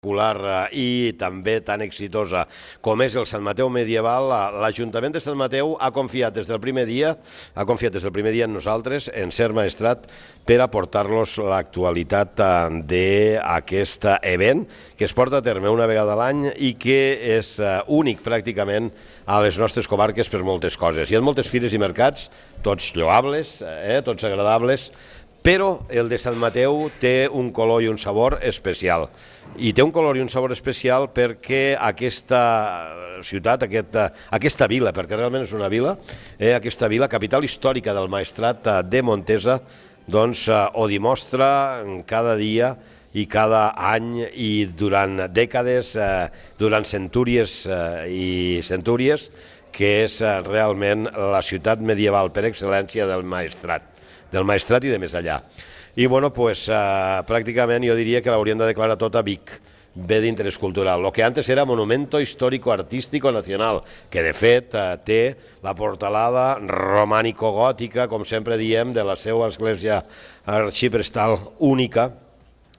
i també tan exitosa com és el Sant Mateu medieval, l'Ajuntament de Sant Mateu ha confiat des del primer dia en nosaltres, en Ser Maestrat, per aportar-los l'actualitat d'aquest event que es porta a terme una vegada a l'any i que és únic pràcticament a les nostres comarques per moltes coses. Hi ha moltes fires i mercats, tots lloables, tots agradables, però el de Sant Mateu té un color i un sabor especial. I té un color i un sabor especial perquè aquesta ciutat, aquesta vila, perquè realment és una vila, aquesta vila, capital històrica del Maestrat de Montesa, doncs ho dimostra cada dia i cada any i durant dècades, durant centúries i centúries, que és realment la ciutat medieval per excel·lència del Maestrat i de més allà. I bueno, pues, pràcticament jo diria que l'haurien de declarar tot a Vic, bé d'interès cultural. Lo que antes era Monumento Histórico Artístico Nacional, que de fet té la portalada romànico-gòtica, com sempre diem, de la seva església arxiprestal única,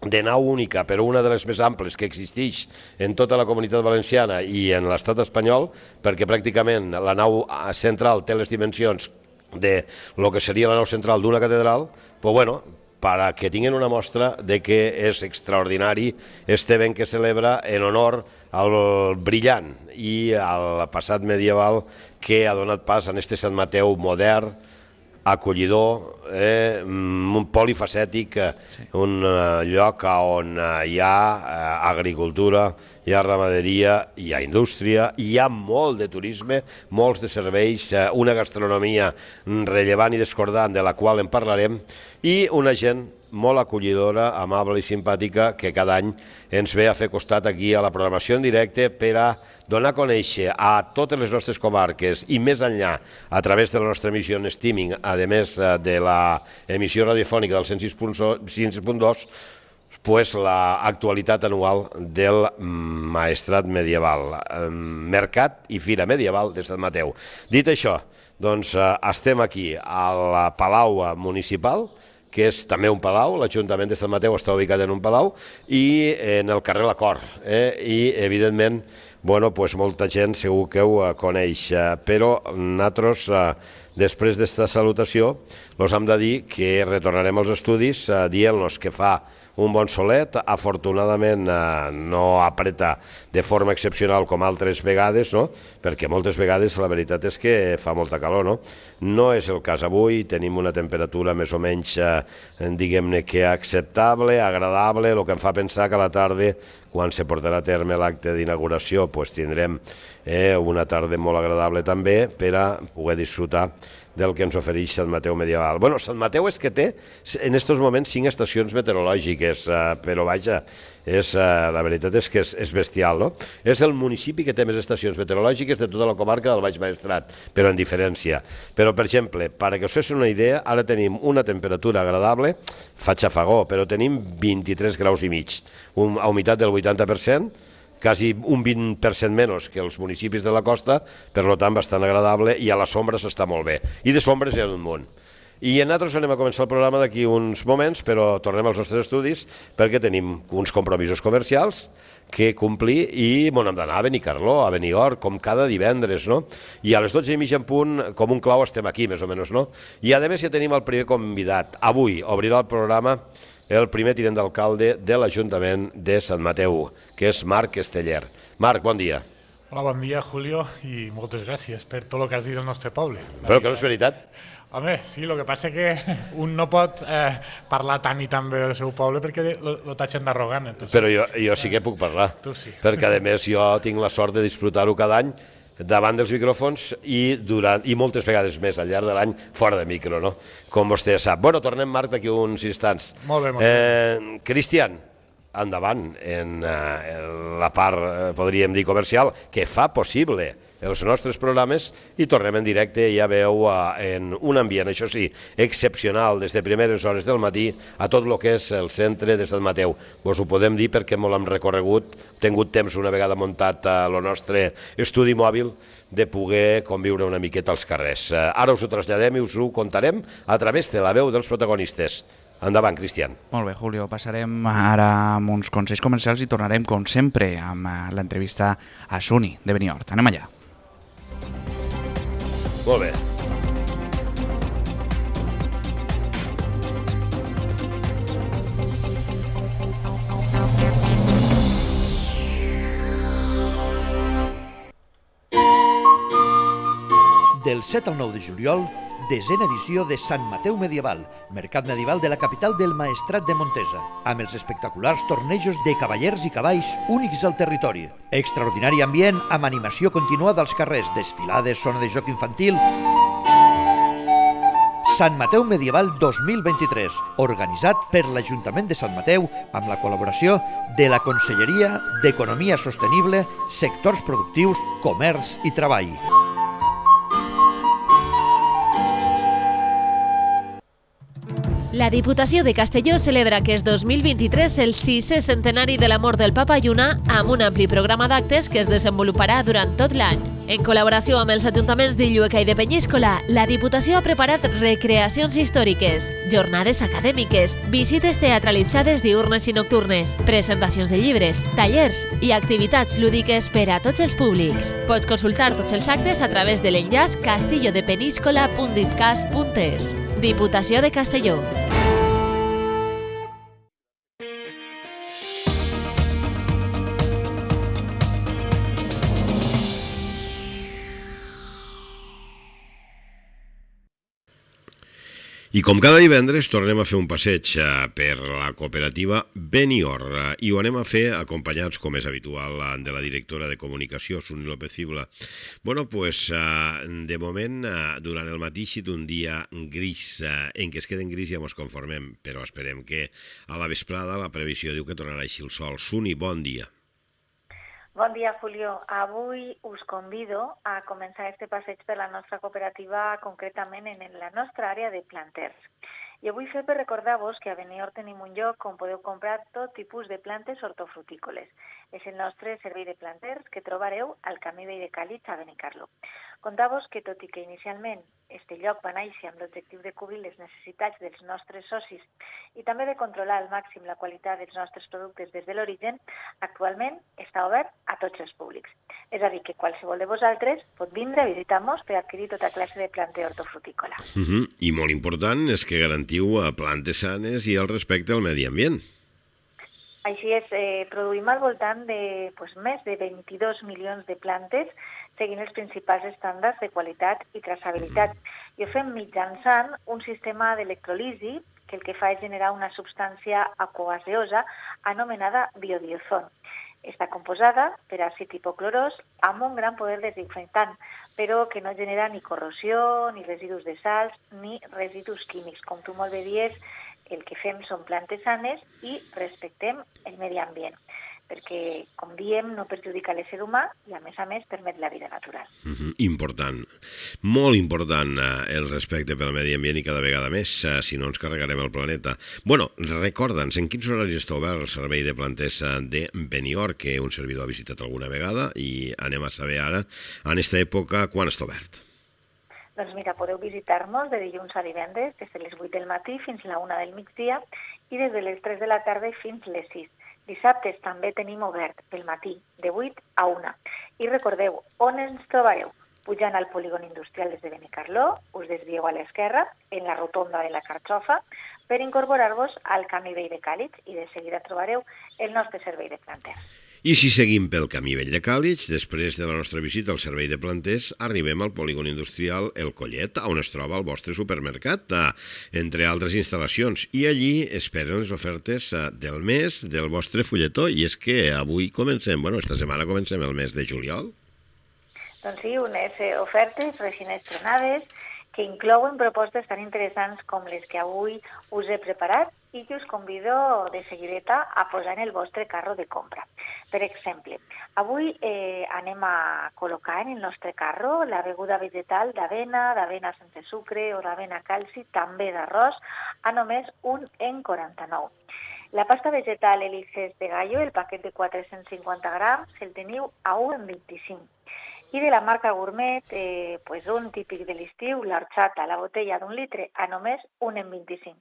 de nau única, però una de les més amples que existeix en tota la comunitat valenciana i en l'estat espanyol, perquè pràcticament la nau central té les dimensions de lo que seria la nau central d'una catedral, pues bueno, para que tinguin una mostra de que és extraordinari este event que celebra en honor al brillant i al passat medieval que ha donat pas a este Sant Mateu modern, acollidor, polifacètic, un lloc on hi ha agricultura, hi ha ramaderia, hi ha indústria, hi ha molt de turisme, molts de serveis, una gastronomia rellevant i discordant de la qual en parlarem i una gent molt acollidora, amable i simpàtica que cada any ens ve a fer costat aquí a la programació en directe per a donar a conèixer a totes les nostres comarques i més enllà a través de la nostra emissió en streaming, a més de l'emissió radiofònica del 106.2, pues l'actualitat anual del Maestrat medieval, Mercat i Fira Medieval de Sant Mateu. Dit això, doncs estem aquí al Palau Municipal, que és també un palau, l'Ajuntament de Sant Mateu està ubicat en un palau, i en el carrer La Cor. I, evidentment, molta gent segur que ho coneix, però nosaltres, després d'esta salutació, els hem de dir que retornarem als estudis dient-los que fa un bon solet, afortunadament no apreta de forma excepcional com altres vegades, perquè moltes vegades la veritat és que fa molta calor. No és el cas avui, tenim una temperatura més o menys, diguem-ne que acceptable, agradable, el que em fa pensar que a la tarda, quan se portarà a terme l'acte d'inauguració, tindrem una tarda molt agradable també per a poder disfrutar del que ens ofereix Sant Mateu medieval. Bueno, Sant Mateu és que té en aquests moments 5 estacions meteorològiques, però vaja, la veritat és que és bestial, no? És el municipi que té més estacions meteorològiques de tota la comarca del Baix Maestrat, però en diferència. Però, per exemple, perquè us fessin una idea, ara tenim una temperatura agradable, fa xafagó, però tenim 23 graus i mig, una humitat del 80%, quasi un 20% menys que els municipis de la costa, per tant bastant agradable, i a la sombra s'està molt bé. I de sombres hi ha un munt. I nosaltres anem a començar el programa d'aquí uns moments, però tornem als nostres estudis perquè tenim uns compromisos comercials que complir i hem d'anar a Benicarló, a Benidorm, com cada divendres, no? I a les 12:30 en punt, com un clau, estem aquí, més o menys, no? I a més ja tenim el primer convidat. Avui obrirà el programa el primer tinent d'alcalde de l'Ajuntament de Sant Mateu, que és Marc Esteller. Marc, bon dia. Hola, bon dia, Julio, i moltes gràcies per tot el que has dit del nostre poble. Però que no és veritat. Home, sí, el que passa és que un no pot parlar tant i tan bé del seu poble perquè lo tatxen d'arrogant. Però jo sí que puc parlar, perquè a més jo tinc la sort de disfrutar-ho cada any davant dels micròfons i moltes vegades més al llarg de l'any fora de micro, no? Com vostè sap. Bueno, tornem, Marc, d'aquí uns instants. Molt bé, molt bé. Cristian, endavant en la part, podríem dir, comercial, que fa possible els nostres programes i tornem en directe, ja veu, en un ambient, això sí, excepcional, des de primeres hores del matí a tot el que és el centre de Sant Mateu. Vos ho podem dir perquè molt hem recorregut, tingut temps una vegada muntat el nostre estudi mòbil de poder conviure una miqueta als carrers. Ara us ho traslladem i us ho contarem a través de la veu dels protagonistes. Endavant, Cristian. Molt bé, Julio. Passarem ara amb uns consells comercials i tornarem, com sempre, amb l'entrevista a Suni de Benihort. Anem allà. Molt bé. Del 7 al 9 de juliol, desena edició de Sant Mateu Medieval, mercat medieval de la capital del Maestrat de Montesa, amb els espectaculars tornejos de cavallers i cavalls únics al territori. Extraordinari ambient amb animació continuada als carrers, desfilades, zona de joc infantil. Sant Mateu Medieval 2023, organitzat per l'Ajuntament de Sant Mateu amb la col·laboració de la Conselleria d'Economia Sostenible, Sectors Productius, Comerç i Treball. La Diputació de Castelló celebra aquest 2023 el 6è centenari de la mort del Papa Lluna amb un ampli programa d'actes que es desenvoluparà durant tot l'any. En col·laboració amb els ajuntaments d'Illueca i de Penyíscola, la Diputació ha preparat recreacions històriques, jornades acadèmiques, visites teatralitzades diurnes i nocturnes, presentacions de llibres, tallers i activitats lúdiques per a tots els públics. Pots consultar tots els actes a través de l'enllaç castillodepeniscola.ditcas.es. Diputació de Castelló. I com cada divendres tornem a fer un passeig per la cooperativa Benihort i ho anem a fer acompanyats, com és habitual, de la directora de comunicació, Suni López Cibla. Bueno, pues de moment, durant el matí ha sigut un dia gris, en què es queden gris ja ens conformem, però esperem que a la vesprada la previsió diu que tornarà així el sol. Suni, bon dia. Bon dia, Julio. Avui us convido a començar este passeig per la nostra cooperativa, concretament en la nostra àrea de planters. I ho vull fer per recordar-vos que a Benihort tenim un lloc on podeu comprar tot tipus de plantes hortofrutícoles. És el nostre servei de planters que trobareu al Camí Vell de Càlig a Benicarló. Contar-vos que, tot i que inicialment este lloc va néixer amb l'objectiu de cobrir les necessitats dels nostres socis i també de controlar al màxim la qualitat dels nostres productes des de l'origen, actualment està obert a tots els públics. És a dir, que qualsevol de vosaltres pot vindre a visitar-nos per adquirir tota classe de planter hortofrutícola. I molt important és que garantiu plantes sanes i el respecte al medi ambient. Així és, produïm al voltant de més de 22 milions de plantes seguint els principals estàndards de qualitat i traçabilitat. I ho fem mitjançant un sistema d'electrolisi que el que fa és generar una substància aquogaseosa anomenada biodiazol. Està composada per àcid hipoclorós amb un gran poder desinfectant, però que no genera ni corrosió, ni residus de sals, ni residus químics. Com tu molt bé dius, el que fem són plantes sanes i respectem el medi ambient, perquè, com diem, no perjudica l'ésser humà i, a més, permet la vida natural. Important, molt important el respecte pel medi ambient i cada vegada més, si no ens carregarem el planeta. Bueno, recorda'ns, en quins horaris està obert el servei de planters de Benihort, que un servidor ha visitat alguna vegada, i anem a saber ara, en aquesta època, quan està obert? Doncs mira, podeu visitar-nos de dilluns a divendres des de les 8 del matí fins a la 1 del migdia i des de les 3 de la tarda fins les 6. Dissabtes també tenim obert pel matí, de 8 a 1. I recordeu, on ens trobareu? Pujant al polígon industrial des de Benicarló, us desvieu a l'esquerra, en la rotonda de la Carxofa, per incorporar-vos al Camí Vell de Càlig i de seguida trobareu el nostre servei de planters. I si seguim pel Camí Vell de Càlig, després de la nostra visita al servei de planters, arribem al polígon industrial El Collet, on es troba el vostre supermercat, entre altres instal·lacions. I allí esperen les ofertes del mes del vostre fulletó. I és que avui esta setmana comencem el mes de juliol. Doncs sí, unes ofertes recent estrenades que inclouen propostes tan interessants com les que avui us he preparat i que us convido de seguideta a posar en el vostre carro de compra. Per exemple, avui anem a col·locar en el nostre carro la beguda vegetal d'avena sense sucre o d'avena calci, també d'arròs, a només 1,49 €. La pasta vegetal Elices de Gallo, el paquet de 450 grams, el teniu a 1,25 €. I de la marca Gourmet, un típic de l'estiu, l'orxata, la botella d'1 litre, a només 1,25 €.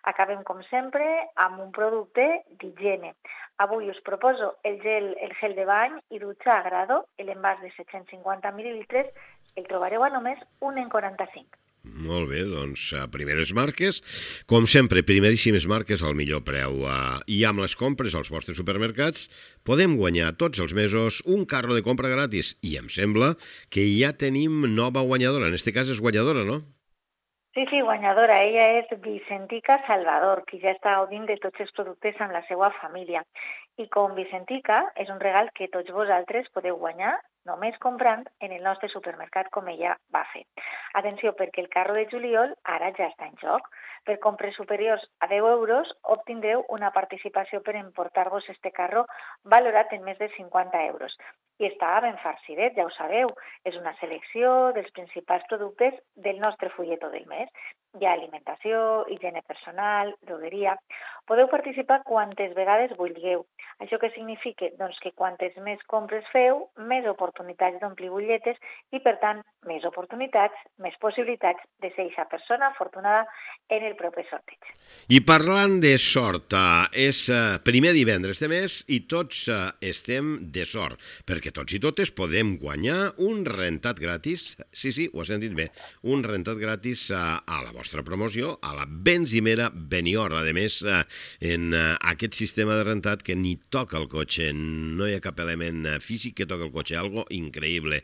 Acabem, com sempre, amb un producte d'higiene. Avui us proposo el gel de bany i dutxa a grado, l'envàs de 750 mil·lilitres, el trobareu a només 1,45. Molt bé, doncs primeres marques, com sempre, primeríssimes marques al millor preu. I amb les compres als vostres supermercats podem guanyar tots els mesos un carro de compra gratis. I em sembla que ja tenim nova guanyadora, en este cas és guanyadora, no? Sí, guanyadora. Ella és Vicentica Salvador, qui ja està gaudint de tots els productes amb la seva família. I com Vicentica, és un regal que tots vosaltres podeu guanyar només comprant en el nostre supermercat com ella va fer. Atenció, perquè el carro de juliol ara ja està en joc. Per compres superiors a 10 euros obtindreu una participació per emportar-vos este carro valorat en més de 50 euros. I està ben farcidet, ja ho sabeu. És una selecció dels principals productes del nostre fulletó del mes. Hi ha alimentació, higiene personal, drogueria. Podeu participar quantes vegades vulgueu. Això què significa? Doncs que quantes més compres feu, més oportunitats d'omplir butlletes i, per tant, més oportunitats, més possibilitats de ser aquesta persona afortunada en el proper sorteig. I parlant de sort, és primer divendres de mes i tots estem de sort, perquè tots i totes podem guanyar un rentat gratis, sí, ho has sentit bé, un rentat gratis a la vostra promoció, a la benzimera Benior. A més, en aquest sistema de rentat que ni toca el cotxe, no hi ha cap element físic que toca el cotxe, algo increïble.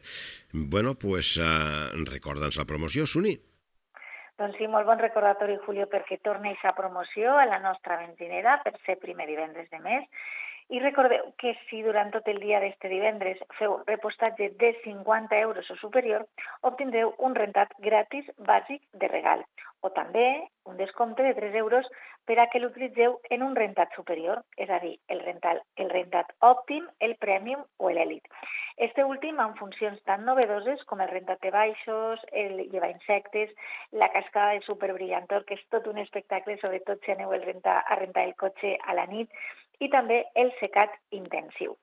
Bueno, pues recorda'ns la promoció, Suni. Doncs sí, molt bon recordatori, Julio, perquè torna aquesta promoció a la nostra benzinera per ser primer divendres de mes. I recordeu que si durant tot el dia d'este divendres feu repostatge de 50 euros o superior, obtindreu un rentat gratis bàsic de regal, o també un descompte de 3 euros per a que l'utilitzeu en un rentat superior, és a dir, el rentat òptim, el premium o l'elit. Este últim amb funcions tan novedoses com el rentat de baixos, el llevar insectes, la cascada de superbrillantor, que és tot un espectacle, sobretot si aneu a rentar el cotxe a la nit, i també el secat intensiu.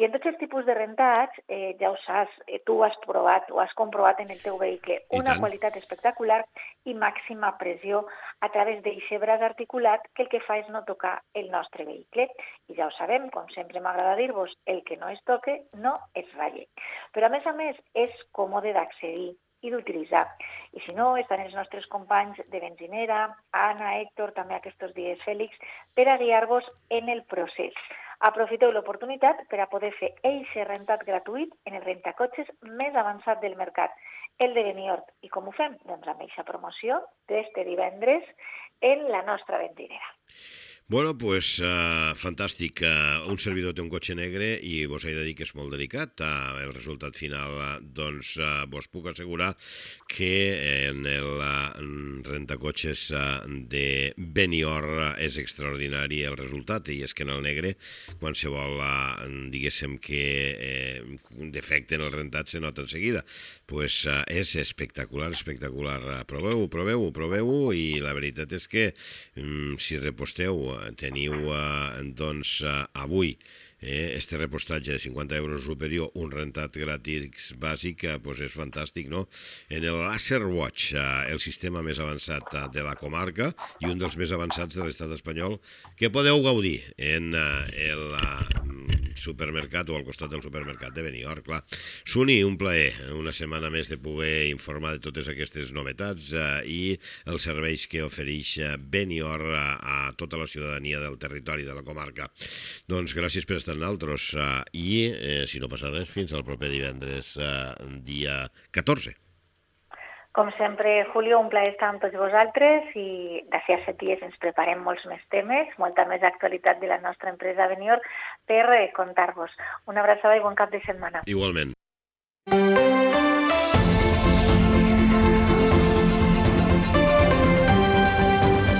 I en tots els tipus de rentats, ja ho saps, tu ho has provat, ho has comprovat en el teu vehicle, una qualitat espectacular i màxima pressió a través d'aquest braç articulat que el que fa és no tocar el nostre vehicle. I ja ho sabem, com sempre m'agrada dir-vos, el que no es toque no es ralle. Però a més, és còmode d'accedir i d'utilitzar. I si no, estan els nostres companys de benzinera, Anna, Héctor, també aquests dies Fèlix, per a guiar-vos en el procés. Aprofiteu l'oportunitat per a poder fer eixe rentat gratuït en el rentacotxes més avançat del mercat, el de Beniort. I com ho fem? Doncs amb eixa promoció d'este divendres en la nostra benzinera. Bueno, pues fantàstic. Un servidor té un cotxe negre i vos he de dir que és molt delicat. El resultat final, doncs, vos puc assegurar que en el rentacotxes de Benior és extraordinari el resultat, i és que en el negre qualsevol, diguéssim, que defecte en el rentat se nota en seguida. Pues és espectacular. Proveu-ho, i la veritat és que si reposteu teniu doncs avui este repostatge de 50 euros superior, un rentat gratis bàsic, doncs és fantàstic, no? En el Laser Watch, el sistema més avançat de la comarca i un dels més avançats de l'estat espanyol, que podeu gaudir en el supermercat o al costat del supermercat de Benior, clar. Suni, un plaer, una setmana més de poder informar de totes aquestes novetats i els serveis que ofereix Benior a tota la ciutadania del territori de la comarca. Doncs gràcies per estar amb nosaltres i, si no passa res, fins al proper divendres, dia 14. Com sempre, Julio, un plaer estar amb tots vosaltres i d'ací a 7 dies ens preparem molts més temes, molta més actualitat de la nostra empresa Benior per contar-vos. Una abraçada i bon cap de setmana. Igualment.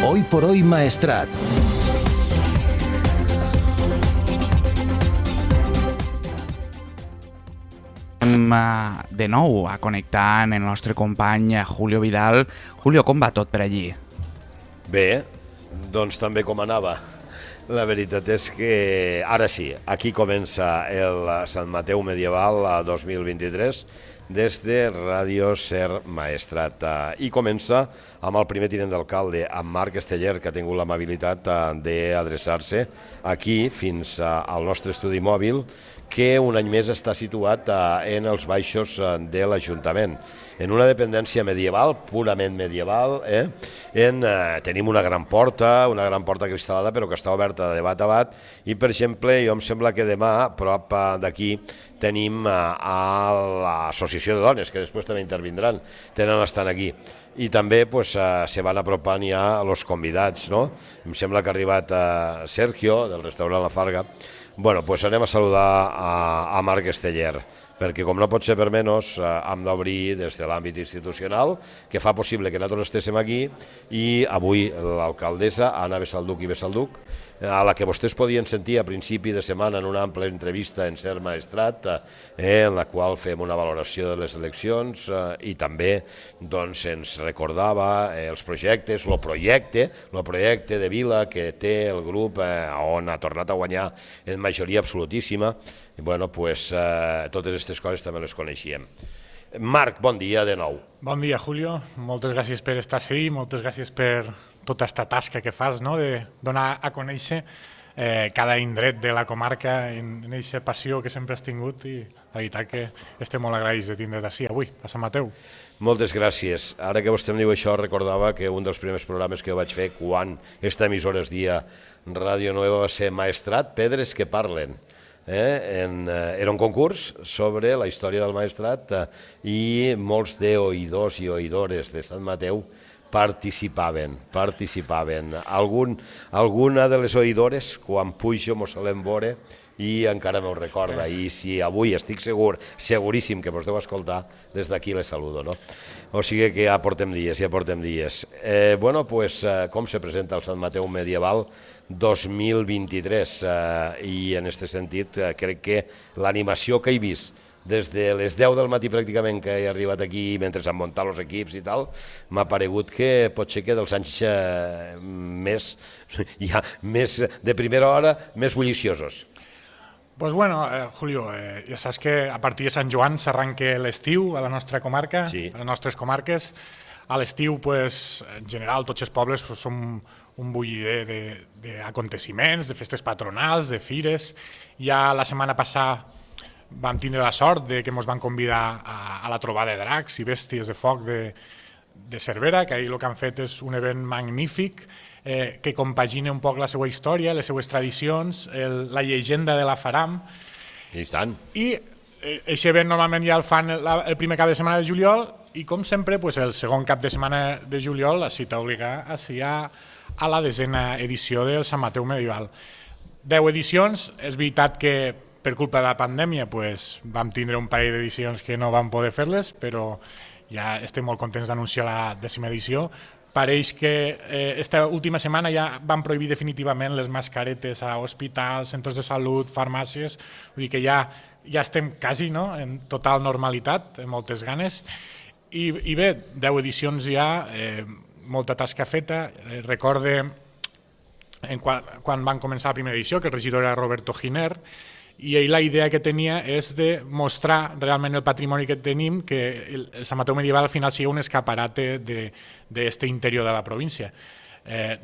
Hoy por hoy Maestrat. De nou a connectar amb el nostre company Julio Vidal. Julio, com va tot per allí? Bé, doncs també com anava. La veritat és que ara sí, aquí comença el Sant Mateu Medieval 2023. des de Ràdio Ser Maestrat. I comença amb el primer tinent d'alcalde, amb Marc Esteller, que ha tingut l'amabilitat d'adreçar-se aquí fins al nostre estudi mòbil, que un any més està situat en els baixos de l'Ajuntament, en una dependència medieval, purament medieval. Tenim una gran porta cristal·lada, però que està oberta de bat a bat, i, per exemple, jo em sembla que demà, a prop d'aquí, tenim a l'Associació de Dones, que després també intervindran, estan aquí. I també se van apropant ja els convidats, no? Em sembla que ha arribat Sergio, del restaurant La Farga. Bueno, doncs anem a saludar a Marc Esteller, perquè com no pot ser per menys, hem d'obrir des de l'àmbit institucional, que fa possible que nosaltres estéssim aquí, i avui l'alcaldessa, Anna Besalduc i Besalduc, a la que vostès podien sentir a principi de setmana en una àmplia entrevista en Ser Maestrat, en la qual fem una valoració de les eleccions i també ens recordava els projectes, el projecte de vila que té el grup on ha tornat a guanyar en majoria absolutíssima. I totes aquestes coses també les coneixíem. Marc, bon dia de nou. Bon dia, Julio. Moltes gràcies per estar aquí, moltes gràcies per tota aquesta tasca que fas, de donar a conèixer cada indret de la comarca en aquesta passió que sempre has tingut, i la veritat que estem molt agraïts de tindre't així avui, a Sant Mateu. Moltes gràcies. Ara que vostè em diu això, recordava que un dels primers programes que jo vaig fer quan aquesta emissora es dia Ràdio Nueva va ser Maestrat, Pedres que parlen. Era un concurs sobre la història del Maestrat i molts d'oïdors i oïdores de Sant Mateu participaven. Alguna de les oïdores, quan pujo, m'ho solem veure i encara m'ho recorda. I si avui estic seguríssim que vos deu escoltar, des d'aquí les saludo, no? O sigui que ja portem dies. Com se presenta el Sant Mateu medieval 2023? I en aquest sentit crec que l'animació que he vist des de les 10 del matí pràcticament que he arribat aquí mentre s'han muntat els equips i tal, m'ha paregut que pot ser que dels anys més de primera hora, més bulliciosos. Pues bueno, Julio, ja saps que a partir de Sant Joan s'arranca l'estiu a la nostra comarca, a les nostres comarques. A l'estiu, en general, tots els pobles són un bullider d'aconteciments, de festes patronals, de fires. Ja la setmana passada vam tindre la sort que ens van convidar a la trobada de dracs i bèsties de foc de Cervera, que ahir el que han fet és un event magnífic que compagina un poc la seva història, les seues tradicions, la llegenda de la Faram. I tant. I aquest event normalment ja el fan el primer cap de setmana de juliol i, com sempre, el segon cap de setmana de juliol la cita obligada a la 10a edició del Sant Mateu medieval. 10 edicions, és veritat que per culpa de la pandèmia vam tindre un parell d'edicions que no vam poder fer-les, però ja estem molt contents d'anunciar la 10a edició. Pareix que aquesta última setmana ja van prohibir definitivament les mascaretes a hospitals, centres de salut, farmàcies, vull dir que ja estem quasi en total normalitat, amb moltes ganes. I bé, 10 edicions ja, molta tasca feta. Recorde quan van començar la primera edició que el regidor era Roberto Giner, i ell la idea que tenia és de mostrar realment el patrimoni que tenim, que el Sant Mateu medieval al final sigui un escaparate d'aquest interior de la província.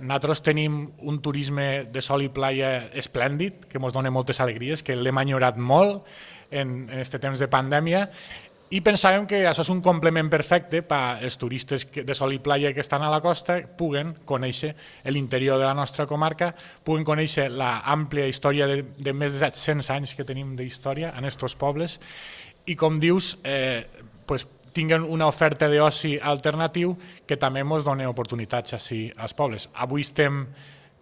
Nosaltres tenim un turisme de sol i playa esplèndid, que ens dona moltes alegries, que l'hem enyorat molt en aquest temps de pandèmia, i pensàvem que això és un complement perfecte per als turistes de sol i playa que estan a la costa, puguen conèixer l'interior de la nostra comarca, puguen conèixer l'àmplia història de més de 700 anys que tenim d'història en aquests pobles i, com dius, tinguen una oferta d'oci alternatiu que també ens dona oportunitats així als pobles. Avui estem,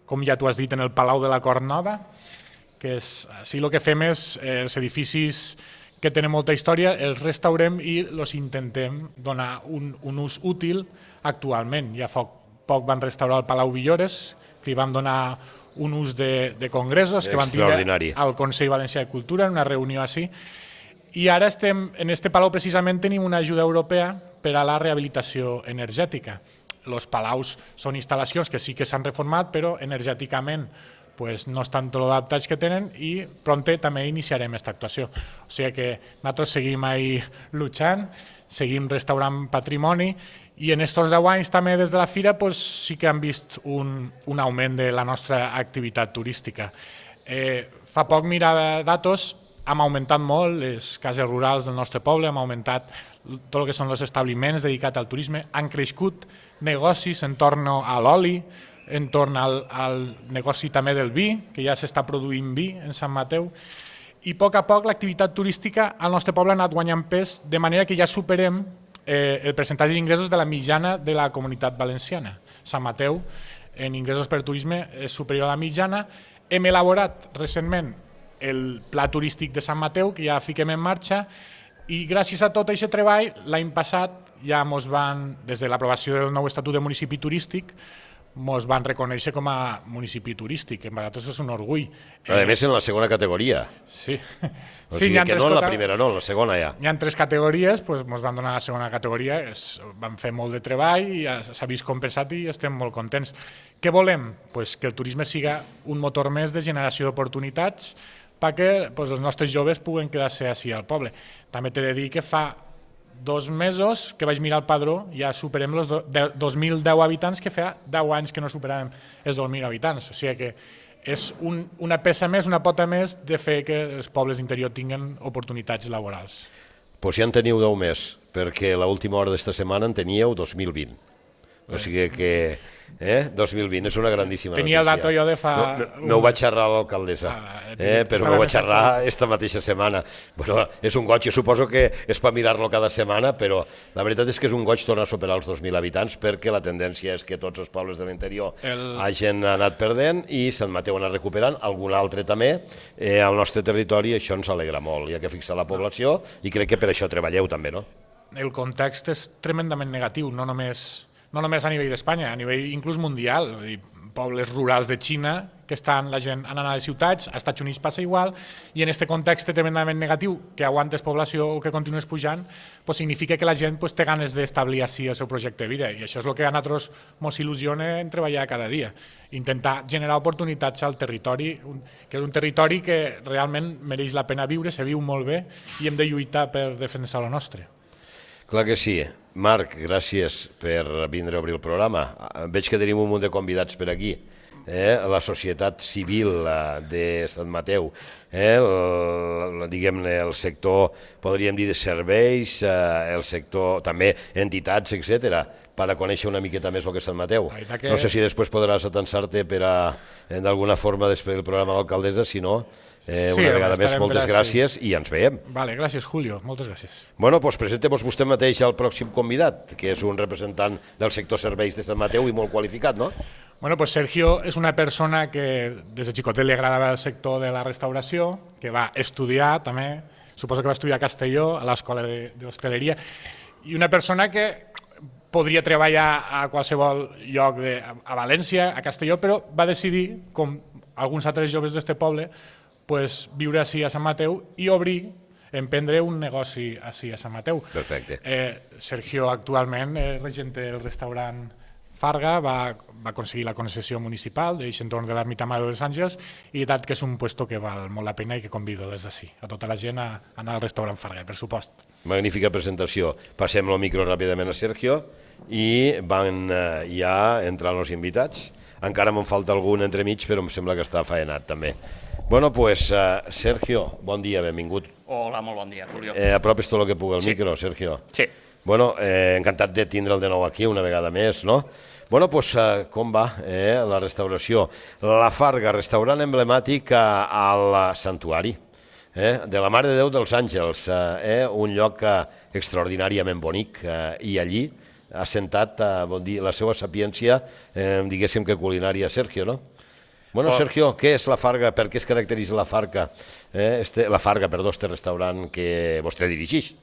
com ja tu has dit, en el Palau de la Cort Nova, que així el que fem és els edificis que tenen molta història, els restaurem i els intentem donar un ús útil actualment. Ja fa poc van restaurar el Palau Villores, que li vam donar un ús de congressos que van tindre al Consell Valencià de Cultura, en una reunió així. I ara en aquest palau precisament tenim una ajuda europea per a la rehabilitació energètica. Els palaus són instal·lacions que sí que s'han reformat, però energèticament pues no estan tot adaptats que tenen i pronte també iniciarem aquesta actuació. O sigui que nosaltres seguim ahí luchant, seguim restaurant patrimoni i en estos 10 anys també des de la fira pues, sí que han vist un augment de la nostra activitat turística. Fa poc mirar datos, hem augmentat molt les cases rurals del nostre poble, hem augmentat tot el que són els establiments dedicats al turisme, han crescut negocis en torn a l'oli, en torn al negoci també del vi, que ja s'està produint vi en Sant Mateu, i a poc l'activitat turística al nostre poble ha anat guanyant pes, de manera que ja superem el percentatge d'ingressos de la mitjana de la comunitat valenciana. Sant Mateu, en ingressos per turisme, és superior a la mitjana. Hem elaborat recentment el pla turístic de Sant Mateu, que ja fiquem en marxa, i gràcies a tot aquest treball, l'any passat ja des de l'aprovació del nou Estatut de Municipi Turístic, ens van reconèixer com a municipi turístic, que per nosaltres és un orgull. A més, en la segona categoria. Sí. O sigui que no en la primera, no, en la segona ja. Hi ha 3 categories, ens van donar la segona categoria, vam fer molt de treball, i s'ha vist compensat i estem molt contents. Què volem? Que el turisme siga un motor més de generació d'oportunitats perquè els nostres joves puguen quedar-se així al poble. També t'he de dir que fa 2 mesos que vaig mirar el padró, ja superem els 2.010 habitants, que fa 10 anys que no superàvem els 2.000 habitants. O sigui que és una peça més, una pota més de fer que els pobles d'interior tinguin oportunitats laborals. Doncs ja en teniu 10 més, perquè l'última hora d'esta setmana en teníeu 2020. O sigui que 2020 és una grandíssima notícia. Tenia el dato jo de fa... No ho vaig xerrar a l'alcaldessa, però m'ho vaig xerrar esta mateixa setmana. Bueno, és un goig, jo suposo que és per mirar-lo cada setmana, però la veritat és que és un goig tornar a superar els 2.000 habitants, perquè la tendència és que tots els pobles de l'interior hagin anat perdent i Sant Mateu ha anat recuperant, algun altre també, al nostre territori, i això ens alegra molt. Hi ha que fixar la població i crec que per això treballeu també, no? El context és tremendament negatiu, no només a nivell d'Espanya, a nivell inclús mundial. Pobles rurals de Xina, que la gent anant a les ciutats, als Estats Units passa igual, i en aquest context tremendament negatiu, que aguantes població o que continues pujant, significa que la gent té ganes d'establir així el seu projecte de vida, i això és el que a nosaltres ens il·lusiona en treballar cada dia. Intentar generar oportunitats al territori, que és un territori que realment mereix la pena viure, se viu molt bé, i hem de lluitar per defensar el nostre. Clar que sí. Marc, gràcies per vindre a obrir el programa. Veig que tenim un munt de convidats per aquí. La societat civil de Sant Mateu, diguem-ne, el sector, podríem dir, de serveis, el sector, també entitats, etc., per a conèixer una miqueta més el que és Sant Mateu. No sé si després podràs atensar-te per a, d'alguna forma, després del programa de l'alcaldessa, si no... Una vegada més, moltes gràcies i ens veiem. Vale, gràcies, Julio, moltes gràcies. Bueno, doncs presenteu-vos vostè mateix al pròxim convidat, que és un representant del sector serveis de Sant Mateu i molt qualificat, no? Bueno, pues Sergio és una persona que des de xicotet li agradava el sector de la restauració, que va estudiar també, suposo que va estudiar a Castelló, a l'escola d'hostaleria, i una persona que podria treballar a qualsevol lloc a València, a Castelló, però va decidir, com alguns altres joves d'este poble, viure així a Sant Mateu i emprendre un negoci així a Sant Mateu. Perfecte. Sergio actualment és regent del restaurant Farga, va aconseguir la concessió municipal d'aquest entorn de l'ermita Mare dels Àngels, i tant que és un puesto que val molt la pena i que convido des d'ací a tota la gent a anar al restaurant Farga, per supost. Magnífica presentació. Passem el micro ràpidament a Sergio i van ja entrant els invitats. Encara me'n falta algun entremig, però em sembla que està faenat també. Bueno, pues, Sergio, bon dia, benvingut. Hola, molt bon dia, Julio. Apropes tot el que pugui el micro, Sergio. Sí. Bueno, encantat de tindre'l de nou aquí una vegada més, no? Bueno, pues, com va la restauració? La Farga, restaurant emblemàtic al Santuari, de la Mare de Déu dels Àngels, un lloc extraordinàriament bonic, i allí ha sentat la seva sapiència, diguéssim que culinària, Sergio, no? Bueno, Sergio, què és la Farga? Per què es caracteritza la Farga? Este restaurant que vostè dirigeix.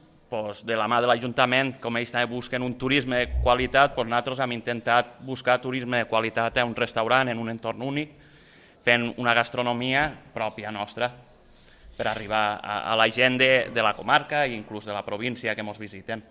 De la mà de l'Ajuntament, com ells també busquen un turisme de qualitat, nosaltres hem intentat buscar turisme de qualitat a un restaurant en un entorn únic, fent una gastronomia pròpia nostra, per arribar a la gent de la comarca i inclús de la província que ens visiten.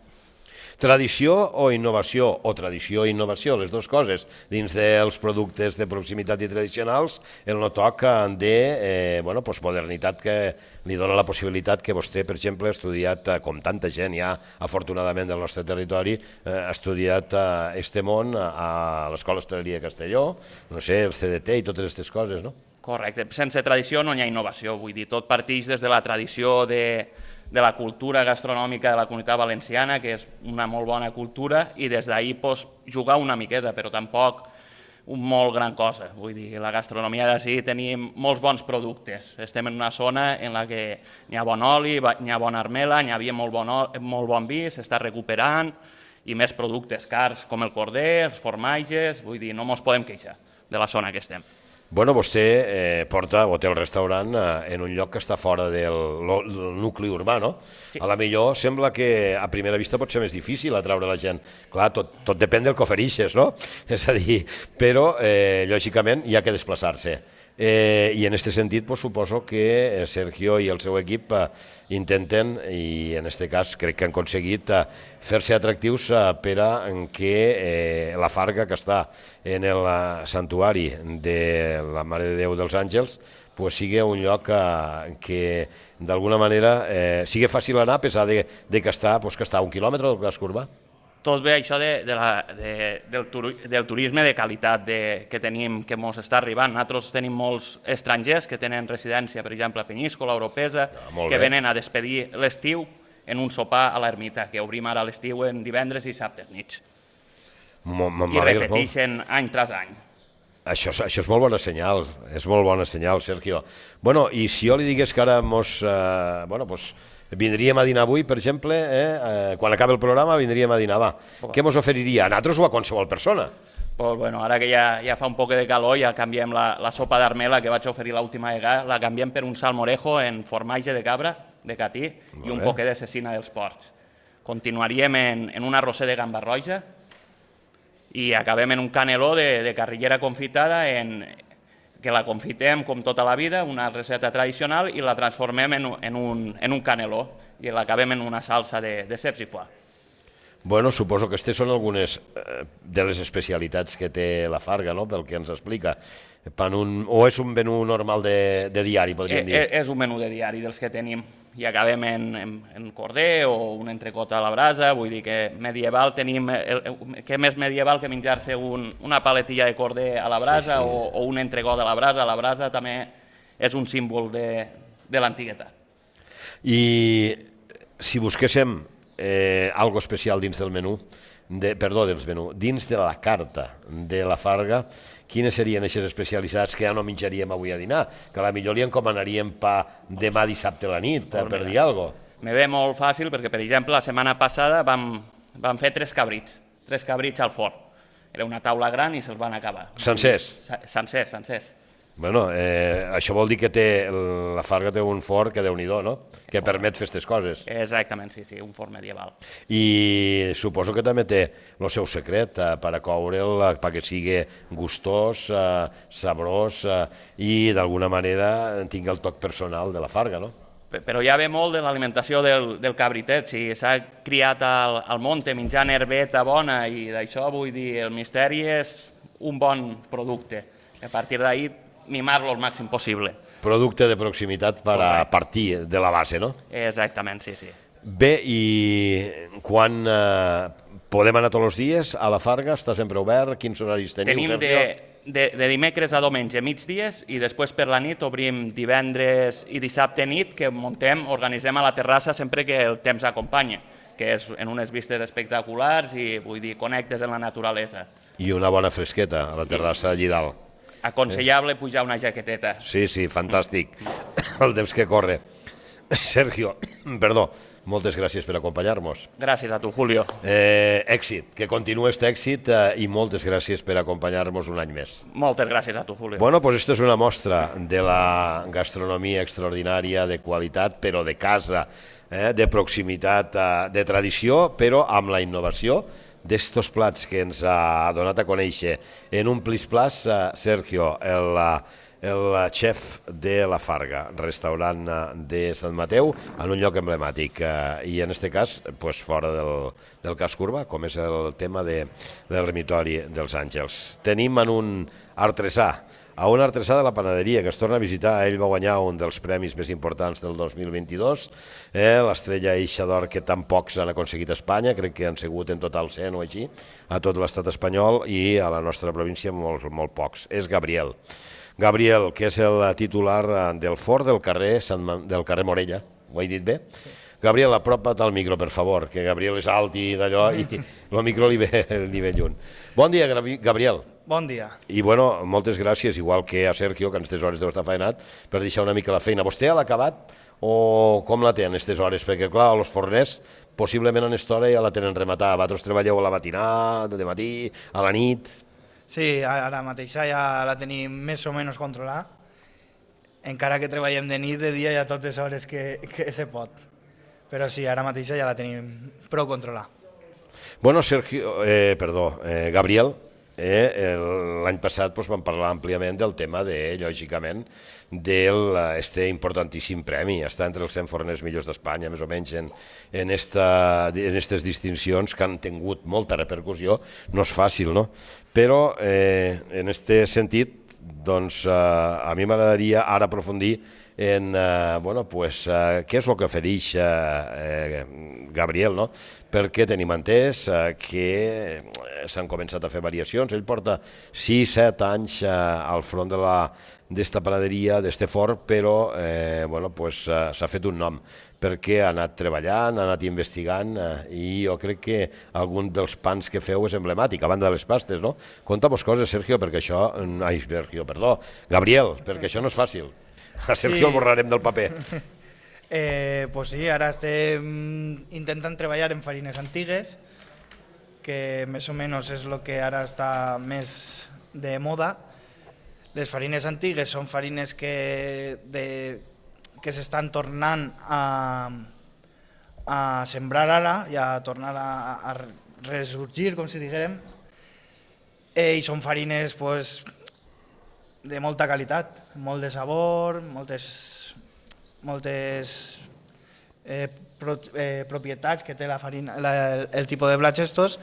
Tradició o innovació, o tradició i innovació, les dues coses. Dins dels productes de proximitat i tradicionals, el no toc de modernitat que li dona la possibilitat que vostè, per exemple, ha estudiat, com tanta gent ja, afortunadament, del nostre territori, ha estudiat este món a l'Escola Hostaleria de Castelló, no sé, el CDT i totes aquestes coses, no? Correcte. Sense tradició no hi ha innovació, vull dir, tot parteix des de la tradició de la cultura gastronòmica de la Comunitat Valenciana, que és una molt bona cultura, i des d'ahir jugar una miqueta, però tampoc molt gran cosa. Vull dir, la gastronomia d'ací tenim molts bons productes. Estem en una zona en la que hi ha bon oli, hi ha bona armela, hi havia molt bon vi, s'està recuperant, i més productes cars com el corder, els formatges, vull dir, no ens podem queixar de la zona que estem. Bueno, vostè porta o té el restaurant en un lloc que està fora del nucli urbà, no? Sí. A la millor sembla que a primera vista pot ser més difícil atraure la gent. Clar, tot depèn del que ofereixes, no? És a dir, però lògicament hi ha que desplaçar-se. I en aquest sentit suposo que Sergio i el seu equip intenten, i en aquest cas crec que han aconseguit fer-se atractius per a que la Farga, que està en el santuari de la Mare de Déu dels Àngels, sigui un lloc que d'alguna manera sigui fàcil anar, a pesar de que està a 1 quilòmetre del casc urbà. Tot ve això del turisme de qualitat que tenim, que ens està arribant. Nosaltres tenim molts estrangers que tenen residència, per exemple, a Penyíscola, Oropesa, que venen a despedir l'estiu en un sopar a l'ermita, que obrim ara l'estiu en divendres i dissabtes nits. I repeteixen any tras any. Això és molt bona senyal, Sergio. Bueno, i si jo li digués que ara vindríem a dinar avui, per exemple, quan acabi el programa vindríem a dinar, va. Què ens oferiria? A nosaltres o a qualsevol persona? Ara que ja fa un poc de calor, ja canviem la sopa d'armela que vaig oferir l'última vegada, la canviem per un salmorejo en formatge de cabra, de catí, i un poquet de cecina dels porcs. Continuaríem en un arrosser de gamba roja i acabem en un caneló de carrillera confitada que la confitem com tota la vida, una recepta tradicional, i la transformem en un caneló i l'acabem en una salsa de ceps i foie. Bueno, suposo que aquestes són algunes de les especialitats que té la Farga, no?, pel que ens explica. O és un menú normal de diari, podríem dir? És un menú de diari dels que tenim. I acabem en corder o un entrecot a la brasa, vull dir que medieval tenim... Què més medieval que menjar-se una paletilla de corder a la brasa o un entrecot a la brasa? La brasa també és un símbol de l'antiguitat. I si busquéssim algo especial dins del menú, dins de la carta de la Farga, quines serien aquestes especialitats que ja no menjaríem avui a dinar? Que potser li encomanaríem pa demà dissabte a la nit, per dir alguna cosa. Me ve molt fàcil perquè, per exemple, la setmana passada vam fer 3 cabrits al forn. Era una taula gran i se'ls van acabar. Sencers? Sencers. Bueno, això vol dir que la Farga té un forn que déu-n'hi-do, no?, que permet fer aquestes coses. Exactament, sí, un forn medieval. I suposo que també té el seu secret per a coure'l, perquè sigui gustós, sabrós i d'alguna manera tingui el toc personal de la Farga, no? Però ja ve molt de l'alimentació del cabritet. Si s'ha criat al monte menjant herbeta bona i d'això, vull dir, el misteri és un bon producte. A partir d'ahir mimar-lo el màxim possible. Producte de proximitat per a partir de la base, no? Exactament, sí. Bé, i quan podem anar tots els dies a la Farga? Està sempre obert? Quins horaris teniu? Tenim de dimecres a diumenge migdies i després per la nit obrim divendres i dissabte nit, que organitzem a la terrassa sempre que el temps acompanya, que és en unes vistes espectaculars i, vull dir, connectes amb la naturalesa. I una bona fresqueta a la terrassa allí dalt. Aconsellable pujar una jaqueteta. Sí, fantàstic. El temps que corre. Sergio, perdó, moltes gràcies per acompanyar-nos. Gràcies a tu, Julio. Èxit, que continuï aquest èxit i moltes gràcies per acompanyar-nos un any més. Moltes gràcies a tu, Julio. Bueno, doncs aquesta és una mostra de la gastronomia extraordinària, de qualitat, però de casa, de proximitat, de tradició, però amb la innovació d'estos plats que ens ha donat a conèixer en un plis-plas, Sergio, el xef de La Farga, restaurant de Sant Mateu, en un lloc emblemàtic, i en aquest cas pues, fora del casc urbà, com és el tema del Ermitori dels Àngels. Tenim en un artesà, a un artesà de la panaderia que es torna a visitar. Ell va guanyar un dels premis més importants del 2022, l'estrella Eixa d'Or, que tan pocs han aconseguit a Espanya, crec que han sigut en total 100 o així, a tot l'estat espanyol, i a la nostra província molt pocs. És Gabriel, que és el titular del forn del carrer Morella. Ho he dit bé? Sí. Gabriel, apropa't al micro, per favor, que Gabriel és alt i d'allò, i el micro li ve lluny. Bon dia, Gabriel. Bon dia. I, bueno, moltes gràcies, igual que a Sergio, que en aquestes hores deu estar faenat, per deixar una mica la feina. Vostè ha l'acabat o com la té en aquestes hores? Perquè, clar, els forners, possiblement en aquesta hora ja la tenen rematada. Vosaltres treballeu a la matinada, de matí, a la nit... Sí, ara mateix ja la tenim més o menys controlada. Encara que treballem de nit, de dia, ja totes hores que se pot. Però sí, ara mateix ja la tenim prou controlada. Bueno, Gabriel, l'any passat vam parlar àmpliament del tema, lògicament, d'aquest importantíssim premi. Està entre els 100 forners millors d'Espanya, més o menys, en aquestes distincions que han tingut molta repercussió. No és fàcil, no? Però, en aquest sentit, doncs, a mi m'agradaria ara aprofundir en què és el que ofereix Gabriel, no? Perquè tenim entès que s'han començat a fer variacions. Ell porta 6-7 anys al front d'esta panaderia, d'este forn, però s'ha fet un nom perquè ha anat treballant, ha anat investigant, i jo crec que algun dels pans que feu és emblemàtic, a banda de les pastes, no? Conta-mos coses, Sergio, perquè això... Gabriel, perquè això no és fàcil. A Sergio el borrarem del paper. Pues sí, ara estem intentant treballar en farines antigues, que més o menys és el que ara està més de moda. Les farines antigues són farines que s'estan tornant a sembrar ara i a tornar a ressorgir, com si diguérem, i són farines de molta qualitat, molt de sabor, moltes propietats que té la farina, el tipus de blats estos,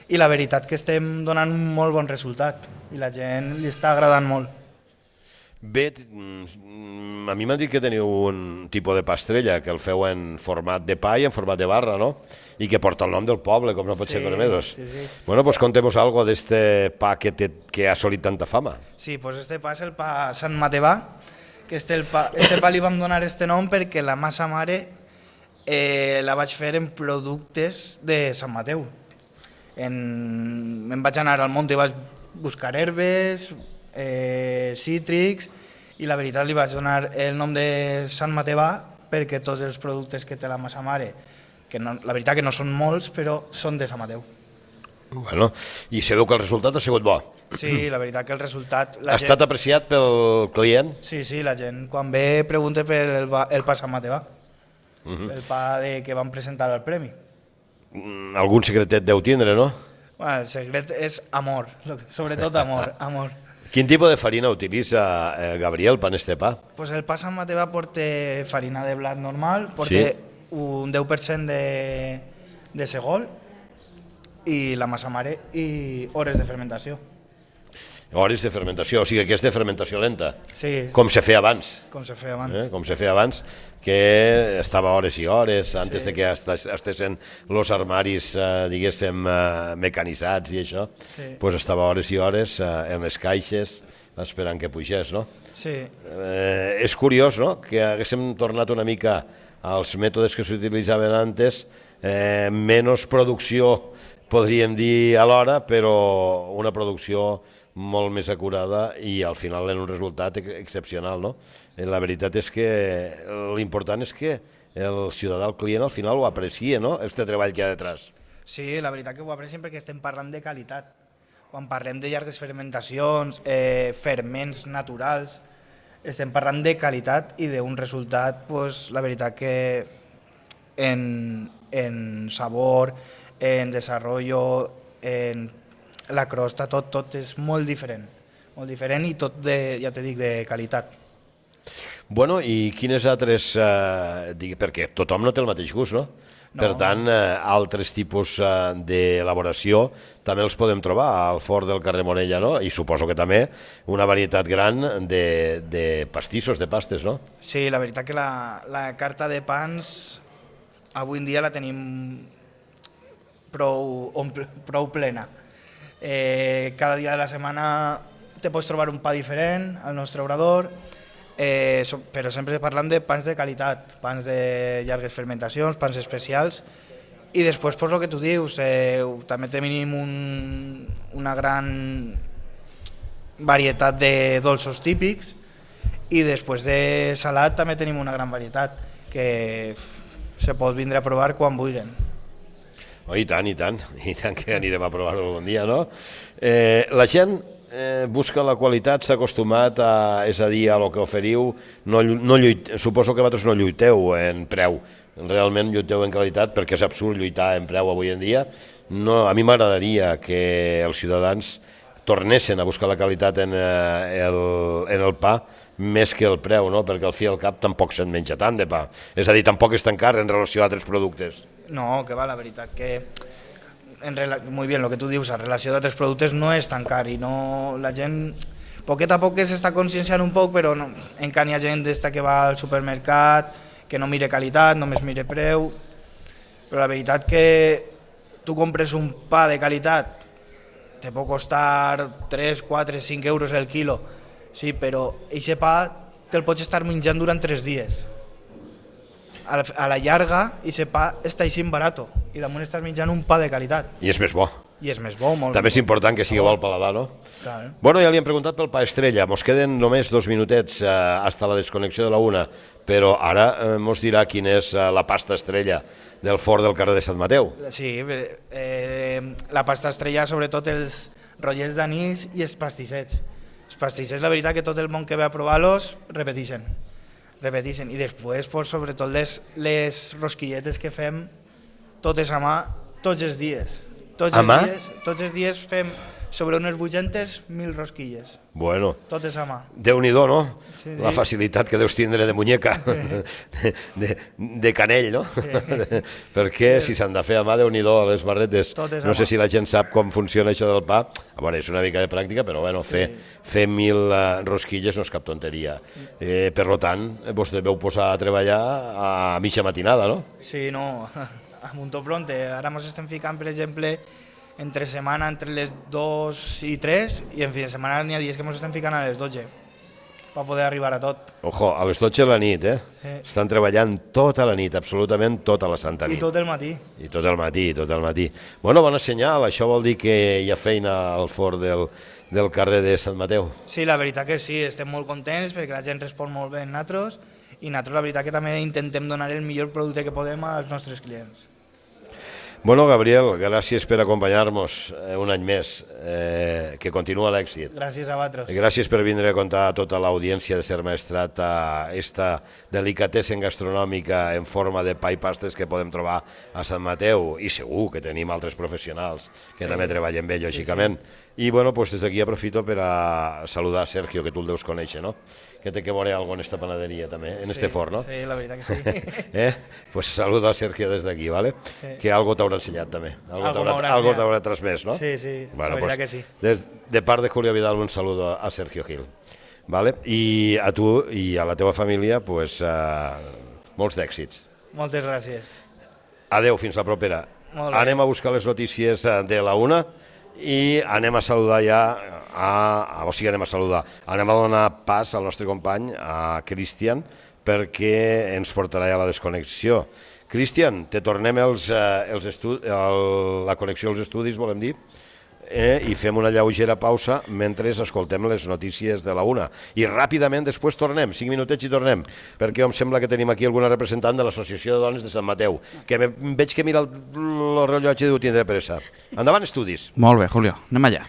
i la veritat que estem donant un molt bon resultat i la gent li està agradant molt. Bé, a mi m'han dit que teniu un tipus de pastrella, que el feu en format de pa i en format de barra, no? I que porta el nom del poble, com no pot ser cosa més. Sí. Bueno, pues contemos algo d'este pa que ha assolit tanta fama. Sí, pues este pa és el pa Sant Matevà, que este pa li vam donar este nom perquè la massa mare la vaig fer en productes de Sant Mateu. Me'n vaig anar al munt i vaig buscar herbes, cítrics, i la veritat li vaig donar el nom de Sant Matevà perquè tots els productes que té la massa mare, que no, la veritat que no són molts, però són de Sant Mateu. Bueno, i sabeu que el resultat ha sigut bo? Sí, la veritat que el resultat... Ha estat apreciat pel client? Sí, la gent quan ve pregunta per el pa Sant Matevà, el pa que van presentar al premi. Algun secretet deu tindre, no? Bueno, el secret és amor, sobretot amor. Quin tipus de farina utilitza Gabriel per este pa? Pues el pa Sant Matevà porta farina de blat normal, porta un 10% de segol i la massa mare i hores de fermentació. Hores de fermentació, o sigui que és de fermentació lenta. Sí. Com se feia abans. Com se feia abans. Com se feia abans, que estava hores i hores, antes de que estessin els armaris, diguéssim, mecanitzats i això, doncs estava hores i hores en les caixes esperant que pugés, no? Sí. És curiós, no?, que haguéssim tornat una mica als mètodes que s'utilitzaven antes, menys producció, podríem dir alhora, però una producció molt més acurada i al final en un resultat excepcional, no? La veritat és que l'important és que el ciutadà, el client, al final ho aprecia, no?, este treball que hi ha detrás. Sí, la veritat que ho aprecien perquè estem parlant de qualitat. Quan parlem de llargues fermentacions, ferments naturals, estem parlant de qualitat i d'un resultat, la veritat que en sabor, en desenvolupament, en la crosta, tot és molt diferent, molt diferent i tot, ja te dic, de qualitat. Bueno, i quines altres... perquè tothom no té el mateix gust, no? Per tant, altres tipus d'elaboració també els podem trobar al forn del carrer Morella, no? I suposo que també una varietat gran de pastissos, de pastes, no? Sí, la veritat que la carta de pans avui en dia la tenim prou plena. Cada dia de la setmana te pots trobar un pa diferent al nostre obrador, però sempre parlant de pans de qualitat, pans de llargues fermentacions, pans especials, i després, el que tu dius, també tenim una gran varietat de dolços típics, i després de salat també tenim una gran varietat, que se pot vindre a provar quan vulguin. Oh, i tant que anirem a provar-ho algun dia, no? La gent busca la qualitat, s'ha acostumat és a dir, a lo que oferiu, suposo que vosaltres no lluiteu en preu, realment lluiteu en qualitat, perquè és absurd lluitar en preu avui en dia. A mi m'agradaria que els ciutadans tornessin a buscar la qualitat en el pa, més que el preu, no? Perquè al fi i al cap tampoc se'n menja tant de pa, és a dir, tampoc és tan car en relació a altres productes. No, que va, la veritat que muy bien, lo que tú dius, en relació d'altres productes no és tan car i no, la gent poquet a poc s'està conscienciant un poc, però no, encara hi ha gent que va al supermercat, que no mire qualitat, només mire preu, però la veritat que tu compres un pa de qualitat, te pot costar 3, 4, 5 euros el quilo, sí, però aquest pa te'l pots estar menjant durant 3 dies. A la llarga, aquest pa està així barat i damunt estàs menjant un pa de qualitat. I és més bo. I és més bo, molt. També és important que sigui bo al paladar, no? Clar. Bueno, ja li hem preguntat pel pa estrella, mos queden només 2 minutets hasta la desconnexió de la 1, però ara mos dirà quina és la pasta estrella del forn del carrer de Sant Mateu. Sí, la pasta estrella, sobretot els rotllets d'anís i els pastissets. Els pastissets, la veritat que tot el món que ve a provar-los repeteixen. I després, sobretot, les rosquilletes que fem totes a mà, tots els dies. Tots els dies fem sobre unes 800.000 rosquilles. Bueno. Totes a mà. Déu-n'hi-do, no? Sí. La facilitat que deus tindre de muñeca, de canell, no? Perquè si s'han de fer a mà, Déu-n'hi-do, a les barretes. No sé si la gent sap com funciona això del pa. Bueno, és una mica de pràctica, però bueno, fer 1.000 rosquilles no és cap tonteria. Per tant, vos deveu posar a treballar a mitja matinada, no? Sí, no, a muntó pronte. Ara ens estem ficant, per exemple, entre setmana entre les 2 i 3 i en fi de setmana n'hi ha dies que ens estem ficant a les 12 per poder arribar a tot. Ojo, a les 12 de la nit, Estan treballant tota la nit, absolutament tota la santa nit. I tot el matí. I tot el matí. Bueno, bona senyal, això vol dir que hi ha feina al forn del carrer de Sant Mateu. Sí, la veritat que sí, estem molt contents perquè la gent respon molt bé en nosaltres i nosaltres la veritat que també intentem donar el millor producte que podem als nostres clients. Bueno, Gabriel, gràcies per acompanyar-nos un any més, que continua l'èxit. Gràcies a vosaltres. Gràcies per vindre a contar a tota l'audiència de Ser Maestrat esta delicatessen gastronòmica en forma de pa i pastes que podem trobar a Sant Mateu, i segur que tenim altres professionals que també treballen bé, lògicament. I bueno, pues des d'aquí aprofito per a saludar a Sergio, que tu el deus conèixer, no? Que té que veure alguna en esta panaderia també, en este forn, no? Sí, la veritat que sí. Pues saludo a Sergio des d'aquí, ¿vale? Que algo t'haurà ensenyat també, algo t'haurà transmès, no? Sí, la veritat que sí. De part de Julio Vidal, un saludo a Sergio Gil, ¿vale? I a tu i a la teva família, pues molts d'èxits. Moltes gràcies. Adeu, fins la propera. Anem a buscar les notícies de la 1 i anem a saludar ja, anem a donar pas al nostre company, a Cristian, perquè ens portarà ja la desconnexió. Cristian, te tornem la connexió als estudis, volem dir, i fem una lleugera pausa mentre escoltem les notícies de la 1. I ràpidament després tornem, 5 minutets i tornem, perquè em sembla que tenim aquí alguna representant de l'Associació de Dones de Sant Mateu, que veig que mira el rellotge i diu tindré pressa. Endavant, estudis. Molt bé, Julio, anem allà.